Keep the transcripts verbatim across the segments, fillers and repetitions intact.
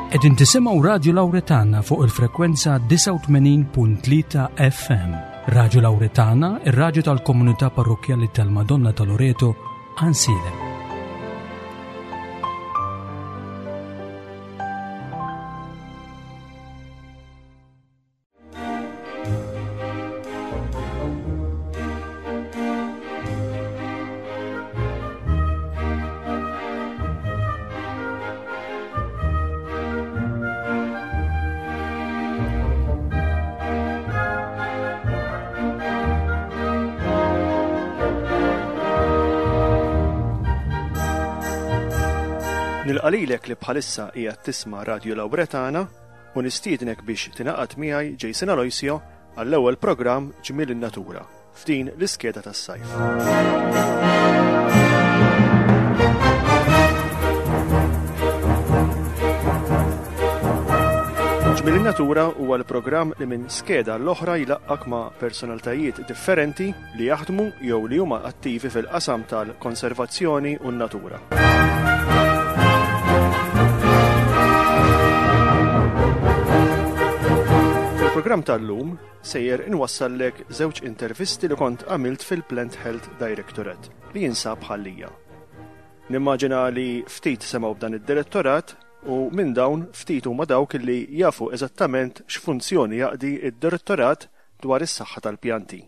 Qegħdin tisimgħu Radio Lauretana fuq il-frekwenza disgħa u tmenin punt tlieta F M. Radio Lauretana, ir-radju tal-komunità parrokjali tal-Madonna ta' Loreto, Għajnsielem. Nilqa' lilek li bħalissa qiegħed tisma' Radio Lauretana u nistiednek biex tingħaqad miegħi, Jason Aloisio, għall-ewwel programm Ġmiel in-Natura f'din l-iskeda tas-sajf. Ġmiel in-Natura huwa l-programm li minn skeda l-oħra jlaqqak ma' personalitajiet differenti li jaħdmu jew li huma attivi fil-qasam tal-konservazzjoni u n-natura. Fil-programm tal-lum sejjer inwassallek żewġ intervisti li kont għamilt fil-Plant Health Directorate li jinsab Ħal Lija. Nimmaġina li ftit semgħu b'dan id-direttorat u minn dawn ftit huma dawk li jafu eżattament x'funzjoni jaqdi id-direttorat dwar is-saħħa tal-pjanti.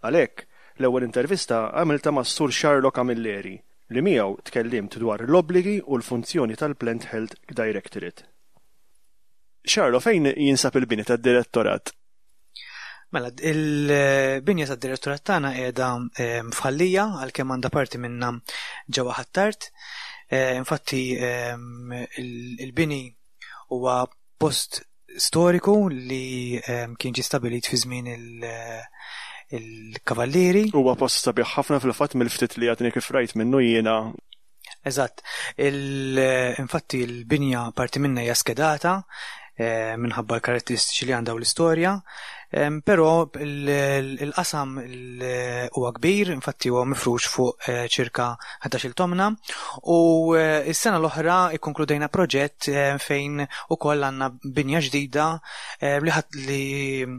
Għalhekk, l-ewwel intervista għamilta ma' Sur Charlo Camilleri, li miegħu tkellimt dwar l-obbligi u l-funzjoni tal-Plant Health Directorate. Charlo, fejn jinsab il-bini tad-direttorat? Mela, il-binja tad-direttorat tagħna qiegħda ehm, f'Ħal Lija, għalkemm għandha parti minnha ġewwa Ħ'Attard. Eh, infatti ehm, il-bini huwa post storiku li ehm, kien ġie stabilit fi żmien il-kavallieri. Huwa post sabiħ ħafna fil-fatt, mill-ftit li għadni kif rajt minnu jiena. Eżatt. Infatti il-binja parti minnha hija skedata eh, minħabba l-karatteristiċi li għandha u l-istorja, però il-qasam huwa kbir, infatti huwa mifrux fuq eh, ċirka ħdax-il tomna u eh, s-sena l-oħra ikkonkludejna proġett fejn ukoll għandna binja ġdida li li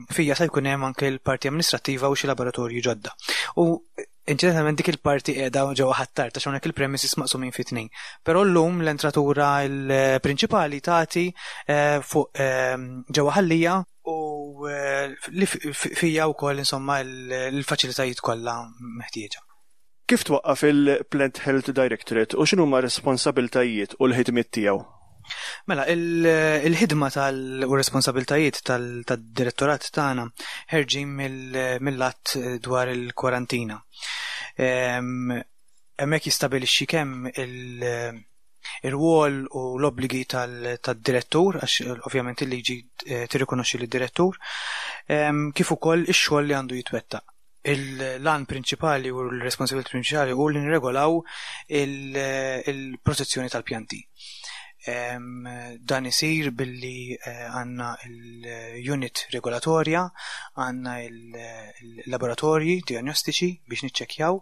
fija se jkun hemm anke l-parti amministrattiva u xi laboratorji ġodda. U inċidentalment dik il-parti qiegħda ġewwa Ħ'Attard, għax hawnhekk il-premises maqsumin fi tnejn. Però llum l-entratura l-prinċipali tagħti eh, fuq eh, ġewwa Ħal Lija u eh, li fija wkoll insomma l-faċilitajiet kollha meħtieġa. Kif twaqqaf il-Plant Health Directorate u x'inhuma responsabiltajiet u l-ħidmiet tiegħu? Mela, il-ħidma tal u responsabiltajiet tal-direttorat tagħna ħerġin mill-att dwar il-kwarantina. Hemmhekk jistabilixxi kemm il- ir-rwol u l-obbligi tad-direttur, għax ovvjament il-liġi eh, tirrikonoxxi lid-direttur, kif ukoll ix-xogħol li għandu jitwettaq. Il-għan prinċipali u l-responsabilità prinċipali u li nirregolaw il-protezzjoni tal-pjanti. Dan isir billi eh, għandna il-unit regolatorja, għandna il-laboratorji diagnostiċi biex niċċekjaw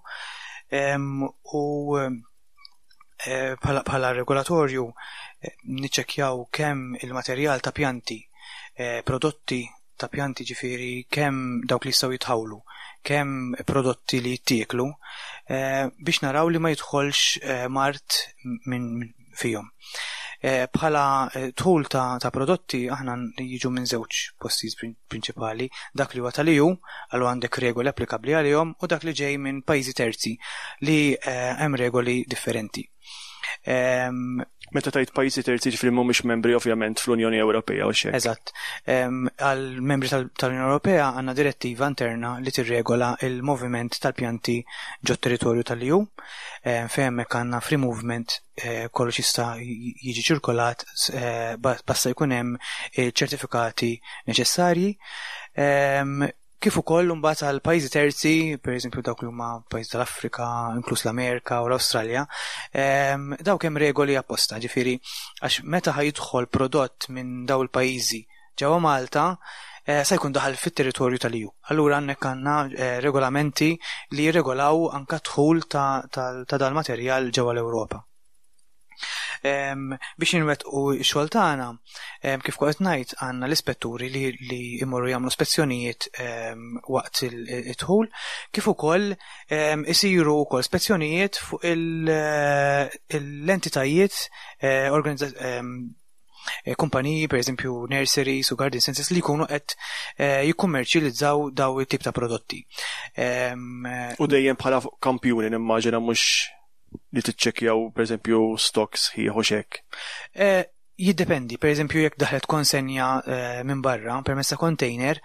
u eh, bħala regolatorju eh, niċċekjaw kemm il-materjal ta' pjanti, prodotti ta' pjanti, ġifieri kemm dawk li jistgħu jitħawlu, kemm prodotti li jittieklu, biex naraw li ma jidħolx mard minn fihom. Eh, bħala eh, dħul ta', ta prodotti aħna jiġu minn żewġ postijiet prinċipali, dak li huwa tal-E U, għallu għandek regoli applikabbli għalihom, u dak li ġej minn pajjiżi terzi li eh, hemm regoli differenti. Meta tgħid pajjiżi terzi, ġifieri mhumiex membri ovvjament fl-Unjoni Ewropea u xejn. Eżatt. Għal membri tal-Unjoni Ewropea għandna direttiva interna li tirregola il-moviment tal-pjanti ġo territorju tal-E U, fejn hemmhekk għandna free movement, eh, kollox jista' jiġi ċirkolat eh, basta jkun hemm ċertifikati neċessarji. Kif ukoll imbagħad għal pajjiżi terzi, pereżempju dawk li huma pajjiżi tal-Afrika, inkluż l-Amerika u l-Awstralja, dawk hemm regoli apposta, ġifieri għax meta ħa jidħol prodott minn daw il-pajjiżi ġewwa Malta, eh, sa jkun daħal fit-territorju tal-E U. Allura għandek għandna eh, regolamenti li jirregolaw anka dħul ta', ta, ta dal-materjal ġewwa l-Ewropa. Biex inwettqu x-xogħol tagħna, kif kont ngħid, għandna l-ispetturi li, li imorru jagħmlu spezzjonijiet waqt il-dħul, kif ukoll isiru wkoll spezzjonijiet fuq l-entitajiet eh, eh, kumpaniji, per eżempju nurseries u garden centers li jkunu qed eh, jikkummerċjalizzaw daw it-tip ta' prodotti. U dejjem bħala kampjuni, nimmaġina, mhux li tiċċekkjaw, per eżempju, stocks ħieħ u xek. Eh, jiddependi, per eżempju, jekk daħlet konsenja eh, minn barra permezz ta' container,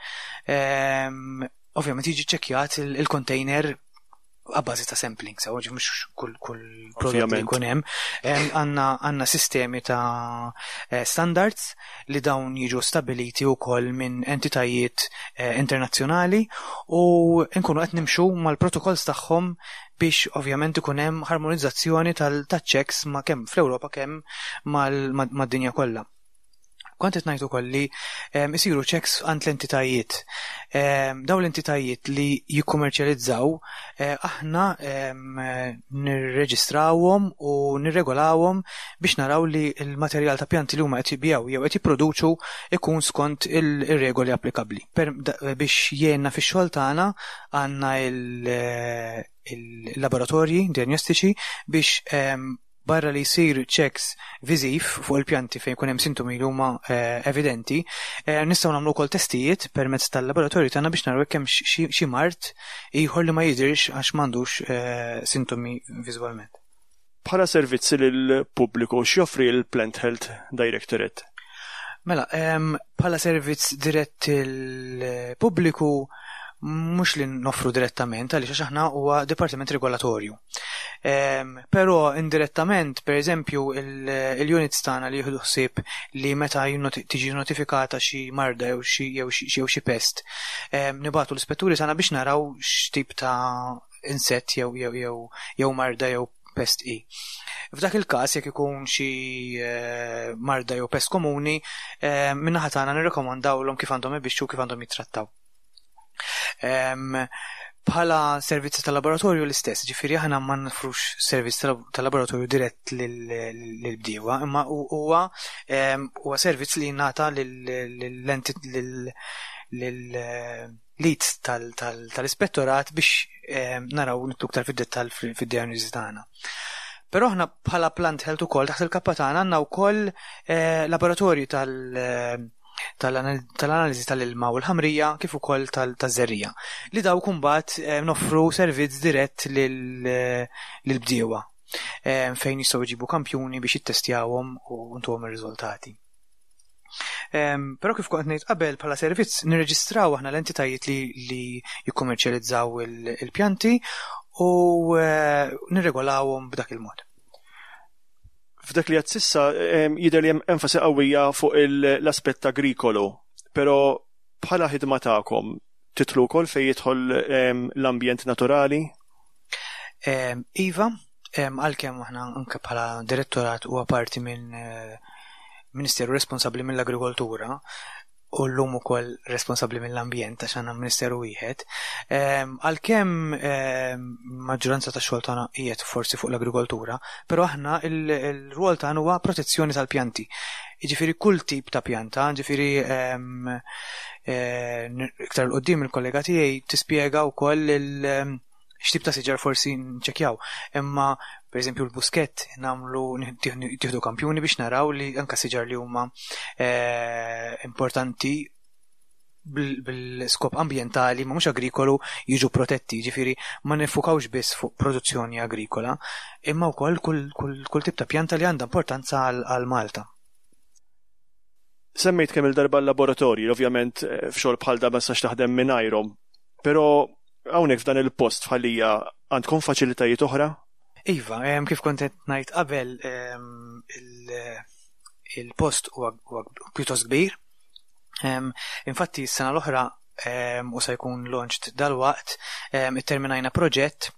ehm, ovvjament jiġi ċekkjat il-container għabbażi ta' sampling, sa' mhux kull kull prodott li jkun hemm. Għandna għandna sistemi ta' eh, standards li dawn jiġu stabiliti wkoll minn entitajiet eh, internazzjonali u nkunu qed nimxu mal-protokolls tagħhom biex ovvjament ikun hemm harmonizzazzjoni tal-checks ma' kemm fl-Ewropa kemm mad-dinja kollha. Kont qed ngħid ukoll li isiru checks għand l-entitajiet. Dawn l-entitajiet li jikkummerċjalizzaw eh, aħna nirreġistrawhom u nirregolawhom biex naraw li l-materjal ta' pjanti li huma qed jibigħu jew qed jipproduċu ikun skont il-regoli applikabbli. Biex jgħinna fix-xogħol tagħna għandna il-laboratorji diagnostiċi biex barra li jsir checks viżiv fuq il-pjanti fejn jkun hemm sintomi li huma eh, evidenti, eh, nistgħu nagħmlu wkoll testijiet permezz tal-laboratorju tagħna biex naraw kemm xi mard ieħor li ma jidhirx għax m'għandux eh, sintomi viżwalment. Bħala servizzi lill-pubbliku, x'joffri l-Plant Health Directorate? Mela, bħala servizz dirett il-pubbliku mhux li noffru direttament, għaliex għax aħna huwa dipartiment regolatorju. Però indirettament, per eżempju, il-units tagħna li jieħdu ħsieb li meta tiġi notifikata xi marda jew xi jew xi pest, nibagħtu l-ispetturi tagħna biex naraw x'tip ta' insett jew jew jew jew marda jew pest i. F'dak il-każ, jekk ikun xi eh, marda jew pest komuni, min-naħa tagħna nirrekomandawlhom kif għandhom ibixxu, kif għandhom jittrattaw. Bħala servizzi tal-laboratorju l-istess, ġifieri aħna ma nofrux servizz tal-laboratorju dirett lill-bdiewa, imma huwa huwa servizz li jingħata lil-leads tal-ispettorat biex naraw nidħlu iktar fid-dettall fid-diagnosi tagħna. Però aħna bħala Plant Health ukoll taħt il-kappa tagħna għandna wkoll eh, laboratorju tal- tal-analiżi tal-ilma u l-ħamrija kif ukoll taż-żerriegħa. Li dawk imbagħad eh, noffru servizz dirett lill-bdiewa eh, fejn jistgħu jġibu kampjuni biex jittestjawhom u ntuhom ir-riżultati. Però kif kont ngħid qabel, bħala servizz nirreġistraw aħna l-entitajiet li, li jikkummerċjalizzaw il-pjanti u eh, nirregolawhom b'dak il-mod. F'dak li għedt s'issa jidher li hemm enfasi qawwija fuq l-aspett agrikolu, però bħala ħidma tagħkom tidħlu wkoll fejn jidħol l-ambjent naturali? Iva, għalkemm aħna anke bħala direttorat huwa parti minn eh, ministeru responsabbli mill-agrikoltura u llum ukoll responsabbli mill-ambjent għax għandna ministeru wieħed. Għalkemm maġġoranza ta' xogħol tagħna qiegħed forsi fuq l-agrikoltura, però aħna il-rwol tagħna huwa protezzjoni tal-pjanti. Jiġifieri kull tip ta' pjanta, ġifieri iktar 'il quddiem il-kollega tiegħi tispjega wkoll il- x'tip ta' siġar forsi nċekjaw. Imma per eżempju l-buskett nagħmlu tieħdu kampjuni biex naraw li anka siġar li huma eh, importanti bil-skop ambientali ma mhux agrikolu jiġu protetti, ġifieri ma nifukawx biss fuq produzzjoni agrikola, imma wkoll kull, kull, kull tip ta' pjanta li għandha importanza għal Malta. Semmejt kemm il-darba l-laboratorji, ovvjament eh, f'xogħol bħal da ma tistax taħdem mingħajrhom, però hawnhekk f'dan il-post f'Ħal Lija għandkom faċilitajiet oħra? Iva, kif kont qed ngħid qabel, il-post huwa pjuttost kbir. Infatti s-sena l-oħra, u se jkun launched dal-waqt, itterminajna proġett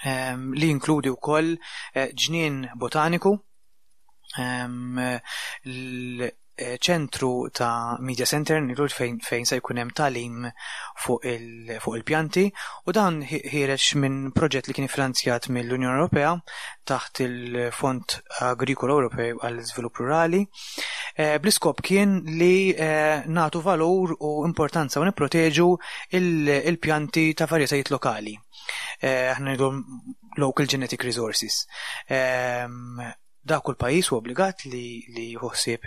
li jinkludi wkoll eh, ġnien botaniku, ċentru ta' media center nilu fejn, fejn se jkun hemm tagħlim fuq il-pjanti u dan ħiereġ minn proġett li kien finanzjat mill-Unjoni Ewropea taħt il-Fond Agrikolo Ewropew għall-Iżvilupp Rurali. Eh, bl-iskop kien li eh, nagħtu valur u importanza u nipproteġu il-pjanti ta' varjetajiet lokali. Eh, aħna ngħidu local genetic resources. Ehm, da kull pajjiż hu obbligat li li jħossib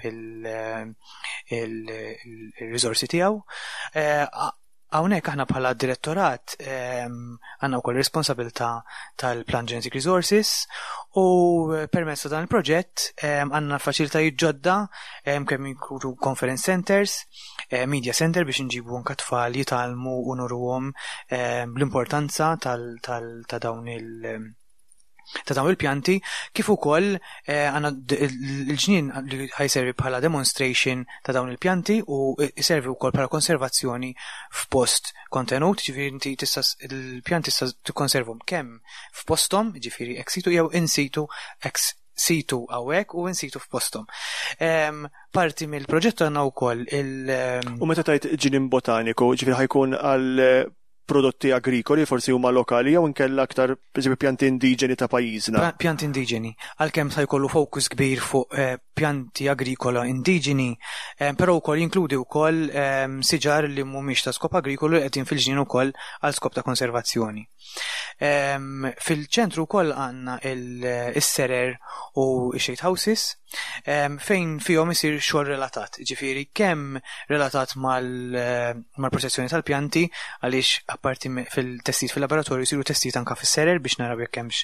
il-riżorsi tiegħu. Hawnhekk aħna bħala direttorat ehm, għandna wkoll responsabilità tal-Plant Genetic Resources u permezz ta' dan il-proġett ehm, għandna faċilitajiet ġodda ehm, kemm jinkludu conference centers, eh, media center biex nġibu anke tfal jitgħallmu u nuruhom l-importanza ta' dawn il- ta' dawn il-pjanti, kif ukoll eh, għandna il-ġnien li ħa jservi bħala demonstration ta' dawn il-pjanti u jservi wkoll bħala konservazzjoni f'post kontenut, ġifieri inti tista' il-pjanti tista' tikkonservhom kemm f'posthom, ġifieri ex situ jew in situ, ex situ hawnhekk u in situ f'posthom. Parti mill-proġett għandna wkoll il- U meta tgħid ġnien botaniku, ġifieri ħa jkun għal prodotti agrikoli forsi huma lokali jew inkella aktar pereżempju pjanti indiġeni ta' pajjiżna? Pjanti indiġeni, għalkemm sa jkollu fokus kbir fuq eh, pjanti agrikola indiġeni, eh, però wkoll jinkludi wkoll eh, siġar li mhumiex ta' skop agrikolu li qegħdin fil-ġnien ukoll għal skop ta' konservazzjoni. Fil-ċentru wkoll għandna il-serer u shade houses fejn fihom isir xogħol relatat, ġifieri kemm relatat mal-protezzjoni tal-pjanti, għaliex apparti fil-testijiet fil-laboratorju jsiru testijiet anka fis-serer biex naraw jekk hemmx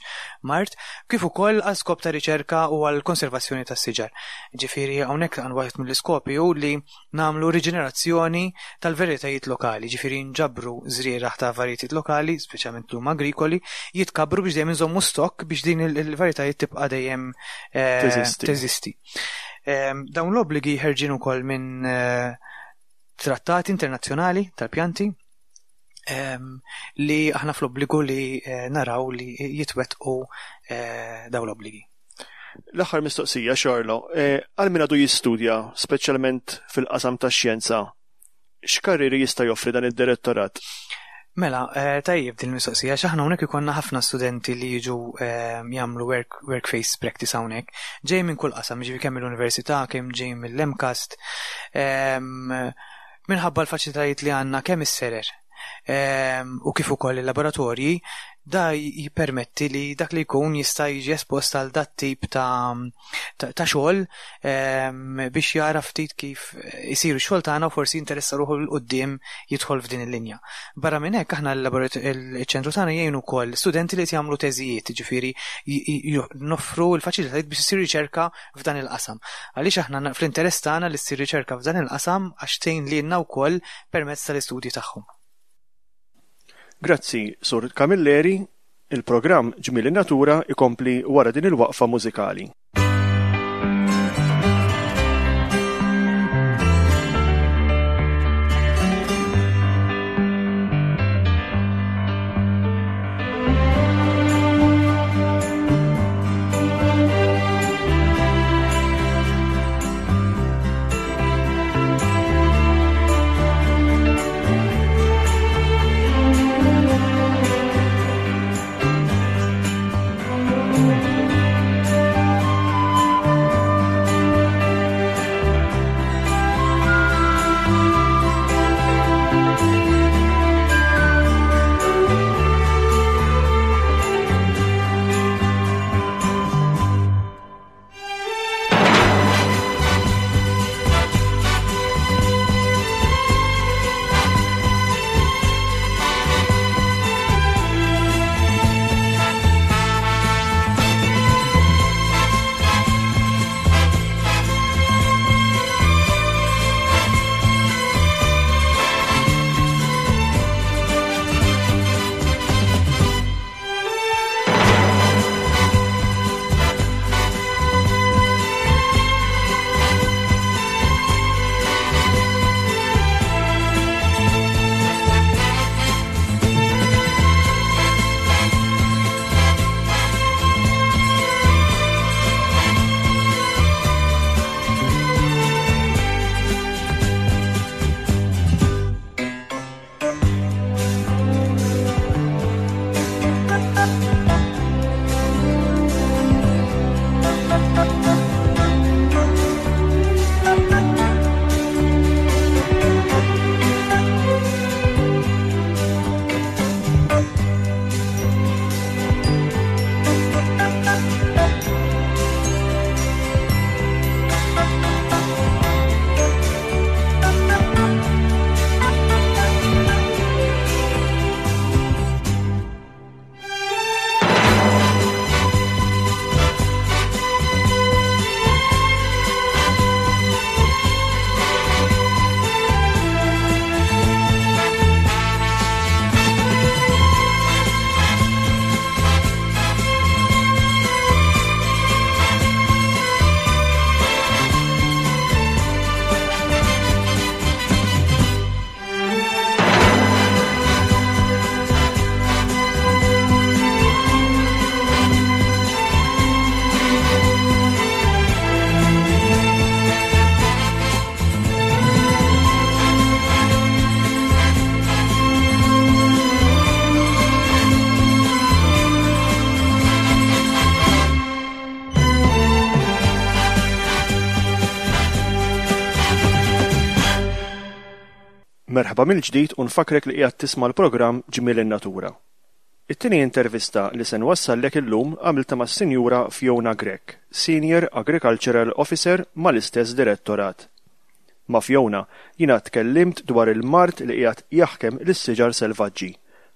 mard, kif ukoll għal skop ta' riċerka u għal konservazzjoni tas-siġar. Ġifieri hawnhekk għan waħed mill-iskopi hu li nagħmlu riġenerazzjoni tal-varjetajiet lokali, ġifieri nġabru żrieragħ ta' varjetajiet lokali, speċjalment l agrikoli, jitkabru biex dejjem inżommu stokk biex din il-varjetajiet tibqa' dejjem eh, teżisti. Ehm, dawn l-obbligi ħerġin ukoll minn eh, trattati internazzjonali tal-pjanti ehm, li aħna fl-obbligu li eh, naraw li jitwettqu dawn l-obbligi. L-aħħar mistoqsija, Xarlo, għal min għadu jistudja, speċjalment fil-qasam tax-xjenza, x'karriri jista' joffri dan id-direttorat? Mela, eh, tajjeb din il-mistoqsija, x'aħna hawnhekk ikollna ħafna studenti li jiġu eh, jagħmlu work, work-based practice hawnhekk. Ġej minn kull qasam, ġifieri kemm mill-università, kemm ġej mill-MCAST. Minħabba l-faċilitajiet li għandna kemm is-serer u kif ukoll il-laboratorji, da jippermetti li dak li jkun jista' jiġi espost għal dat tip ta' ta' xogħol biex jara ftit kif isiru x-xogħol tagħna u forsi jinteressa ruħu 'l quddiem jidħol f'din il-linja. Barra minn hekk aħna l-ċentru tagħna jgħinu wkoll studenti li jagħmlu teżijiet, ġifieri noffru l-faċilitajiet biex isir riċerka f'dan il-qasam. Għaliex aħna fl-interess tagħna li ssir riċerka f'dan il-qasam għax tgħin lilna wkoll permezz tal-istudji tagħhom. Grazzi, Sur Camilleri. Il-programm Ġmiel in-Natura ikompli wara din il-waqfa mużikali. Merħba mill-ġdid u nfakrek li qiegħed tisma' l-programm Ġmiel in-Natura. It-tieni intervista li se nwassallek illum għamilta mas-Sinjura Fiona Grech, Senior Agricultural Officer mal-istess direttorat. Ma' Fiona jiena tkellimt dwar il-mard li qiegħed jaħkem lis-siġar selvaġġi,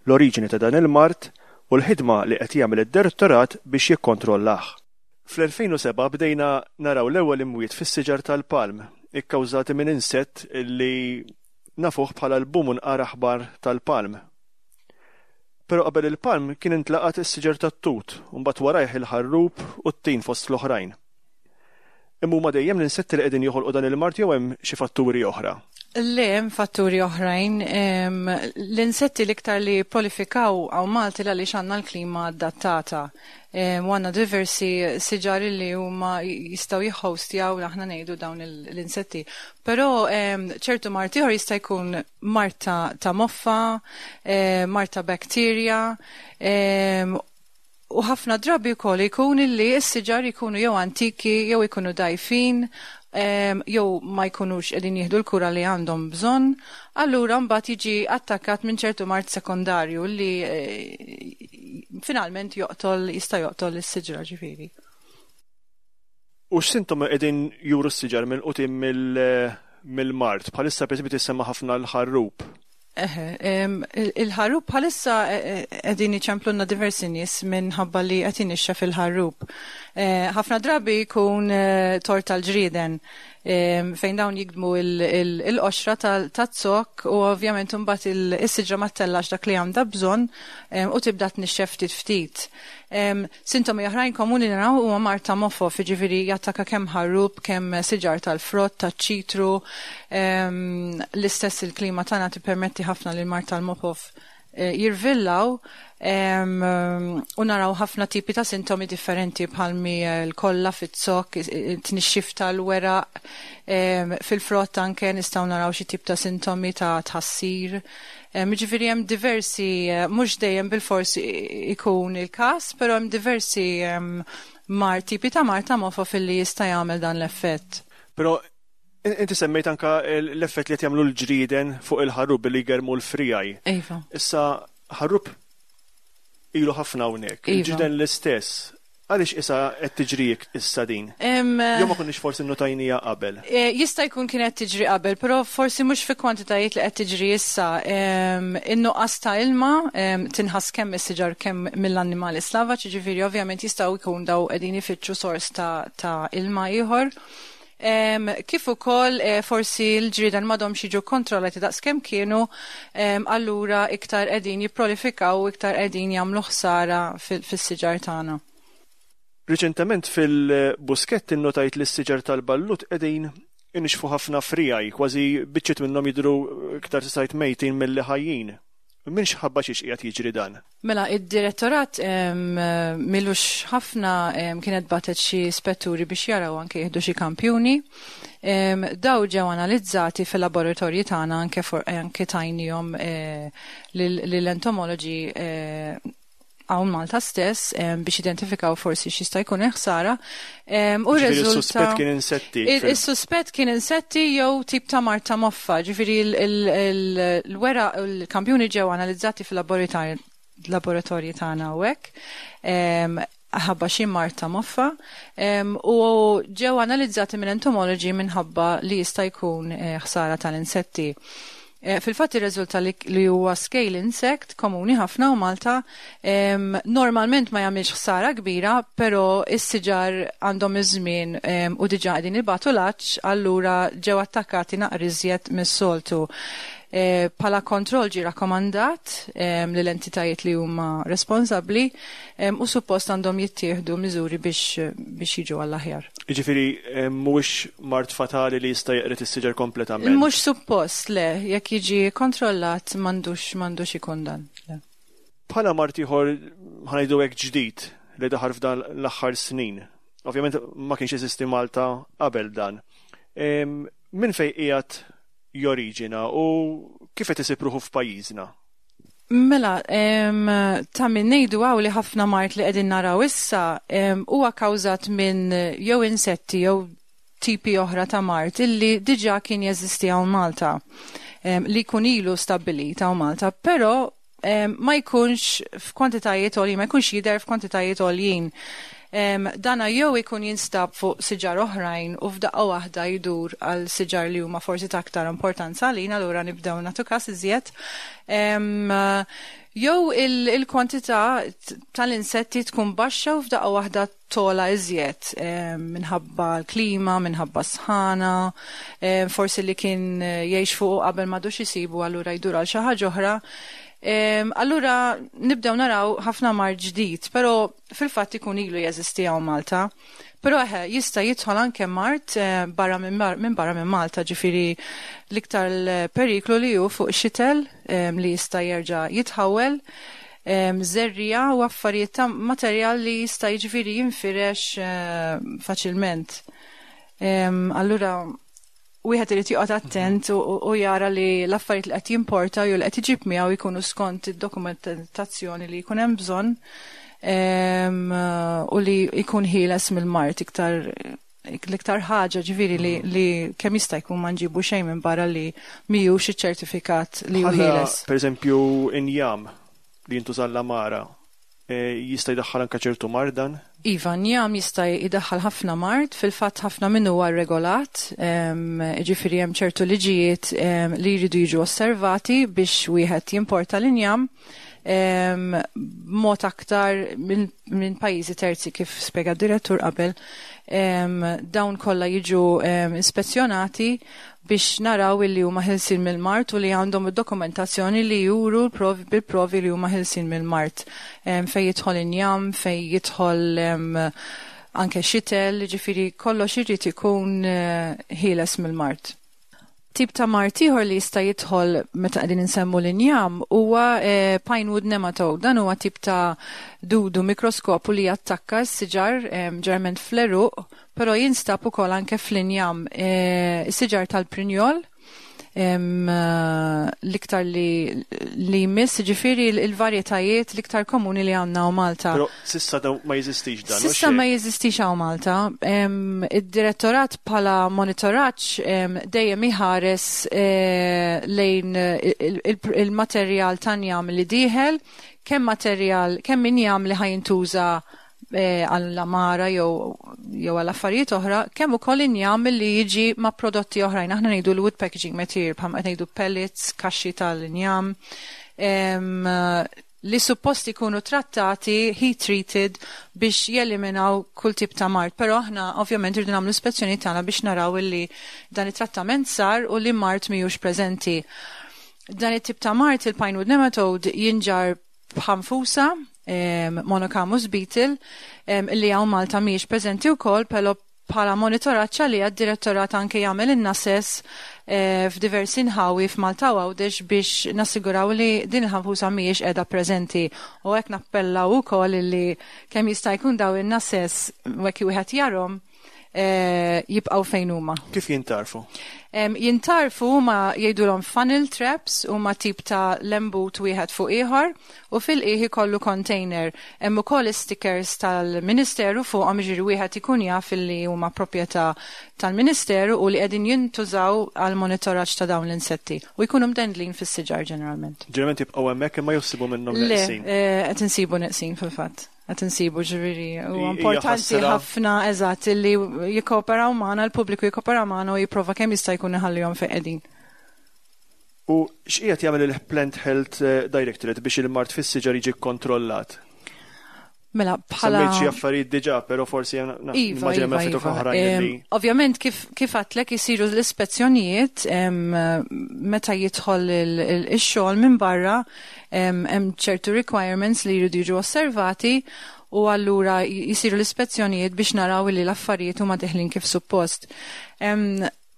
l-oriġini ta' dan il-mard u l-ħidma li qed jagħmel id-direttorat biex jikkontrollah. Fl-elfejn u sebgħa bdejna naraw l-ewwel imwiet fis-siġar tal-palm, ikkawżati minn insett li nafuh bħala l-bumunqar aħbar tal-palm. Però qabel il-palm kien intlaqat is-siġar tat-tut, u mbagħad warajh il-ħarrub u t-tin fost l-oħrajn. Imma huma dejjem l-insetti li qegħdin joħolqu dan il-mard jew hemm xi fatturi oħra? Le, hemm fatturi oħrajn. Em, l-insetti l-iktar li prolifikaw hawn Malti għaliex għandna l-klima adattata. Em, u għandna diversi siġar li huma jistgħu jihhostjaw, aħna ngħidu, dawn il-, l-insetti. Però, em, ċertu mard ieħor jista' jkun mard ta', ta' moffa, em, mard ta' bakterja, em, u ħafna drabi wkoll ikun illi s-siġar jkunu jew antiki jew ikunu dajfin, em, jew ma jkunux qegħdin jieħdu l-kura li għandhom bżonn, allura mbagħad jiġi attakkat minn ċertu mard sekondarju li, eh, finalment joqtol, jista' joqtol is-siġra ġifieri. U x'sintomi qegħdin juru s-siġar mill-qutim mill-, mill-mard? Bħalissa pereżempju tissemma ħafna l-ħarrub. Eħe, em, il-, il-ħarrub bħalissa, eh, eh, qegħdin iċemplunna diversi nies minħabba li qed inixxef il-ħarrub. Eh, ħafna drabi jkun, eh, tort tal-ġrieden, em, fejn dawn jigdmu il-, il-, il-qoxra tal-, taz-zokk u ovvjament imbagħad il-, is-siġra ma ttellax dak li għandha bżonn, em, u tibda tnixxef ftit ftit. Em, sintomi oħrajn komuni naraw huma mard ta' mofof, jiġifieri jattakka kemm ħarrub, kemm siġar tal-frott, taċ-ċitru. Em, l-istess il-klima tagħna tippermetti ħafna li l-mard tal-mofof, eh, jirvillaw, em, u naraw ħafna tipi ta' sintomi differenti bħalmi l-kolla fit-zokk, tnixxif tal-weraq, em, fil-frott anke nistgħu naraw xi tip ta' sintomi ta' tħassir. Em, jiġifieri hemm diversi, eh, mhux dejjem bil-fors ikun il-każ, però hemm diversi, em, mar, tipi ta' mard ta' mofof illi jista' jagħmel dan l-effett. Però in-, inti semmejt anka l-, l-effett li qed jagħmlu l-ġrieden fuq il-ħarrub billi jgermu l-frijaj. Iva. Issa ħarrub ilu ħafna hawnhekk, Iva. il-ġrieden l-istess. Għaliex issa qed tiġri issa din? Em, Jew ma konniex forsi nnotajnija qabel? Eh, jista' jkun kienet tiġri qabel, però forsi mhux fi kwantitajiet li qed tiġri issa. Em, in-nuqqas ta' ilma, em, tinħass kemm is-siġar kemm mill-annimali slavaġ, jiġifieri ovvjament jistgħu jkun daw qegħdin ifittxu sors ta', ta' ilma ieħor. Em, kif ukoll, eh, forsi l-ġrieden m'għadhomx jiġu kontrollati daqskemm kienu, em, allura iktar qegħdin jipprolifikaw u iktar qegħdin jagħmlu ħsara fil-, fis-siġar tagħna. Riċentement fil-Buskett innotajt li s-siġar tal-ballut qegħdin inixfu ħafna frijaj, kważi biċċiet minnhom jidhru iktar tisajt mejtin milli ħajjin. Minn x'ħabba xiex qiegħed jiġri dan? Mela, id-direttorat, em, milux ħafna, em, kienet batet xi spetturi biex jaraw anke jieħdu xi kampjuni. Em, daw ġew analizzati fil-laboratorji tagħna anke for-, anke tajnihom, eh, lil-, lill-entomologi, eh, hawn Malta stess, em, biex identifikaw forsi x'jista' jkun il-ħsara. Em, u Ġifieri riżulta s-suspett kien insetti Il-, fil- Is-suspett kien insetti jew tip ta' mard ta' moffa, ġifieri il-, il-, il-, l-wera l-kampjuni ġew analizzati fil-laboratorji tagħna hawnhekk, em, ħabba xi mard ta' moffa, em, u ġew analizzati minn entomologi minħabba li jista' jkun, eh, ħsara tal-insetti. Eh, fil-fatt irriżulta li, li huwa scale insect komuni ħafna u Malta, em, normalment ma jagħmilx ħsara kbira, però is-siġar għandhom iż-żmien, em, u diġà qegħdin ibatu l-għatx, allura ġew attakkati naqra iżjed mis-soltu. Eh, bħala kontroll ġie rakkomandat, em, lill entitajiet li huma responsabbli, em, u suppost għandhom jittieħdu miżuri biex, biex jiġu għall-aħjar. Jiġifieri, em, mhuwiex mard fatali li jista' jeqred is-siġar kompletament? Mhux suppost, le, jekk jiġi kontrollat m'għandux, m'għandux ikun dan. Le. Bħala mard ieħor ħanajdu hekk ġdid li daħal f'dan l-aħħar snin. Ovvjament ma kienx jeżisti Malta qabel dan. Em, min fejn qiegħed joriġina u kif qed isib ruħu f'pajjiżna? Mela, em, ta' min ngħidu hawn li ħafna mard li qegħdin naraw issa, em, huwa kkawżat minn jew insetti jew tipi oħra ta' mard illi diġà kien jeżisti hawn Malta. li jkun ilu stabbilit hawn Malta, però ma jkunx f'kwantitajiet għoljin, ma jkunx jidher f'kwantitajiet għoljin. Dana jew ikun jinstab fuq siġar oħrajn u f'daqqa waħda jdur għal siġar li huma forsi ta' aktar importanza għalina, allura nibdew nagħtu każ iżjed. Jew il-kwantità tal-insetti tkun baxxa u f'daqqa waħda togħla iżjed minħabba l-klima, minħabba sħana, forsi li kien jgħix fuq qabel m'għadux isibu, allura jdur għal xi ħaġa oħra. Allura nibdew naraw ħafna mard ġdid, però fil-fatt ikun ilu jeżisti hawn Malta. Però eħe, jista' jidħol anke mard barra minn barra minn Malta, ġifieri l-iktar periklu li hu fuq xitel li jista' jerġa' jitħawel, żerriegħa u affarijiet ta' materjal li jista' jiġifieri jinfirex faċilment. Allura wieħed irid joqgħod attent u jara li l-affarijiet li qed jimporta jew li qed iġib miegħu jkunu skont id-dokumentazzjoni li jkun hemm bżonn u li jkun ħieles mill-mard iktar l-iktar ħaġa ġifieri li, li kemm jista' jkun ma nġibu xejn minn barra li mhijiex iċ-ċertifikat li hu ħieles. Per eżempju, injam li jintuża l-għamara jista' jdaħħal anke ċertu mard dan? Iva, njam jista' jdaħħal ħafna mard, fil-fatt ħafna minnu huwa regolat, ġifieri hemm ċertu liġijiet li jridu jiġu osservati biex wieħed jimporta l-injam b'mod aktar minn pajjiżi terzi kif spjega d-direttur qabel. Dawn kollha jiġu ispezzjonati biex naraw illi huma ħelsin mill-mard u li għandhom id-dokumentazzjoni li juru bil-provi li huma ħelsin mill-mard. Fej jidħol injam, fej jidħol anke xitel, ġifieri kollox irid ikun ħieles mill-mard. Tip ta' mard ieħor li jista' jidħol meta qegħdin insemmu l-injam huwa pinewood nematode. Dan huwa tip ta' dudu mikroskopu li jattakka s-siġar ġeneralment fl-għeruq, però jinstab ukoll anke fl-injam, is-siġar tal-prinjol, l-iktar li li jmiss, ġifieri l-varjetajiet l-iktar komuni li għandna hawn Malta. Però s'issa ma jeżistix dan. S'issa ma jeżistix hawn Malta. Id-direttorat bħala monitoraġġ dejjem iħares lejn il-materjal tan-njam li dieħel, kemm materjal, kemm injam li ħa jintuża għall-għamara jew jew għal affarijiet oħra, kemm ukoll injam li jiġi ma' prodotti oħrajn. Aħna ngħidu l-wood packaging material, bħalma qed ngħidu pellets, kaxxi tal-injam, li suppost ikunu trattati, heat treated, biex jeliminaw kull tip ta' mard. Però aħna ovvjament irridu nagħmlu ispezzjoni tagħna biex naraw illi dan it-trattament sar u li mard mhijiex preżenti. Dan it-tip ta' mard, il-pinewood nematode, jinġar b'ħanfusa, Monochamus beetle, li hawn Malta mhijiex preżenti wkoll, però bħala monitoraġġ għalija d-direttorat anke jagħmel in-nases f'diversi nħawi f'Malta u Għawdex biex nassiguraw li din il-ħanfusa mhijiex qiegħda preżenti. U hekk nappellaw ukoll li kemm jista' jkun daw in-nases hekk wieħed jarhom jibqgħu fejn huma. Kif jintarfu? Jintarfu huma jgħidulhom funnel traps, huma tip ta' lembut wieħed fuq ieħor u fil-qiegħ ikollu container. Hemm ukoll stickers tal-Ministeru fuqhom, jiġifieri wieħed ikun jaf li huma proprjetà tal-Ministeru u li qegħdin jintużaw għal monitoraġġ ta' dawn l-insetti u jkunu mdendlin fis-siġar ġeneralment. Ġeneralment jibqgħu hemmhekk imma jsibu minnhom neqsin. Le, qed insibu neqsin fil-fatt. Qed insibu, ġifieri huwa importanti ħafna, eżatt, li jikkooperaw magħna, l-pubbliku jikkooperaw magħna u jipprova kemm jista' jkun iħallihom fejn qegħdin. U x'qiegħed jagħmel il-Plant Health Directorate biex il-mard fis-siġar jiġi kkontrollat? Mela, bħala Semmejt xi affarijiet diġà, però forsi Iva, immaġina iva, ftit iva. oħrajn li Ovvjament kif kif għedtlek isiru l-ispezzjonijiet meta jidħol ix-xogħol minn barra, hemm ċertu requirements li jridu jiġu osservati u allura jisiru l-ispezzjonijiet biex naraw li l-affarijiet huma deħlin kif suppost.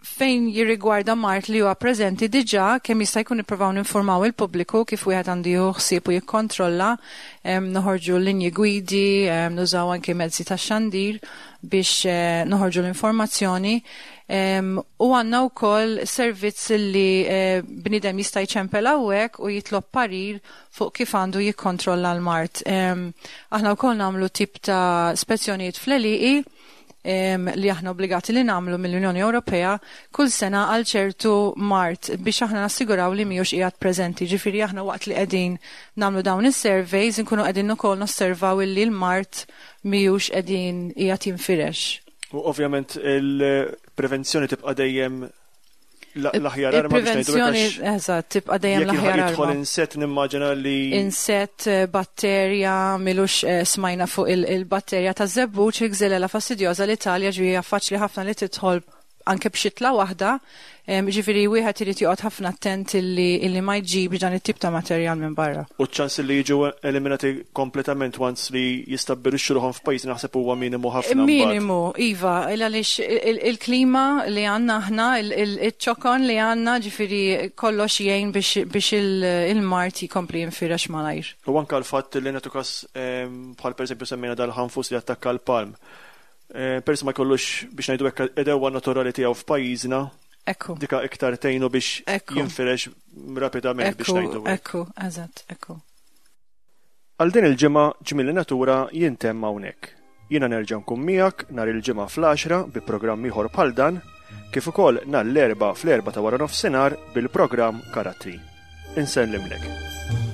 Fejn jirrigwarda mard li huwa preżenti diġà, kemm jista' jkun nippruvaw ninformaw il-pubbliku kif wieħed għandu jieħu ħsieb u jikkontrolla, noħorġu linji gwidi, nużaw anke mezzi ta' xandir biex noħorġu l-informazzjoni. U għandna wkoll servizz li bniedem jista' jċempel hawnhekk u jitlob parir fuq kif għandu jikkontrolla l-mard. Aħna wkoll nagħmlu tip ta' spezzjonijiet fl-għelieqi li aħna obbligati li nagħmlu mill-Unjoni Ewropea kull sena għal ċertu mard biex aħna nassiguraw li mhijiex qiegħed preżenti. Ġifieri aħna waqt li qegħdin nagħmlu dawn is-surveys nkunu qegħdin ukoll nosservaw illi l-mard mhijiex qegħdin qiegħed jinfirex. U ovvjament il-prevenzjoni tibqa' dejjem l-aħjar arma biex ngħidu. Il-prevenzjoni, eżatt, tibqa' dejjem l-aħjar arma. Jidħol insett, nimmaġina li Insett, eh, batterja, m'ilux eh, smajna fuq il-batterja ta' żebbuġ, il-Xylella fastidiosa, l-Italja, ġifieri faċli ħafna li tidħol anke b'xitla waħda, ġifieri wieħed irid joqgħod ħafna attent illi, illi ma jġibx dan it-tip ta' materjal minn barra. U ċans li jiġu eliminati kompletament once li jistabbilixxu ruħhom f'pajjiż naħseb huwa minimu ħafna. Minimu, iva, għaliex il-klima li għandna aħna, il-ċokon li għandna, ġifieri kollox jgħin biex il-mard jkompli jinfirex malajr. U anka l-fatt li nagħtu kas, bħal pereżempju semmejna dal-ħanfus li attakka l-palm. Eh, Peress ma jkollux, biex ngħidu hekk, għedewwa naturali tiegħu f'pajjiżna. Ekku. Dika iktar tgħinu biex jinfirex rapidament, biex ngħidu. Ekku, eżatt, ekku. Għal din il-ġimgħa Ġmiel in-Natura jintemm hawnhekk. Jiena nerġa' nkun miegħek nhar il-Ġimgħa fl-għaxra bi programm ieħor bħal dan, kif ukoll nhar l-Erbgħa fl-erbgħa ta' wara nofsinhar bil-programm Karattri. Insellimlek.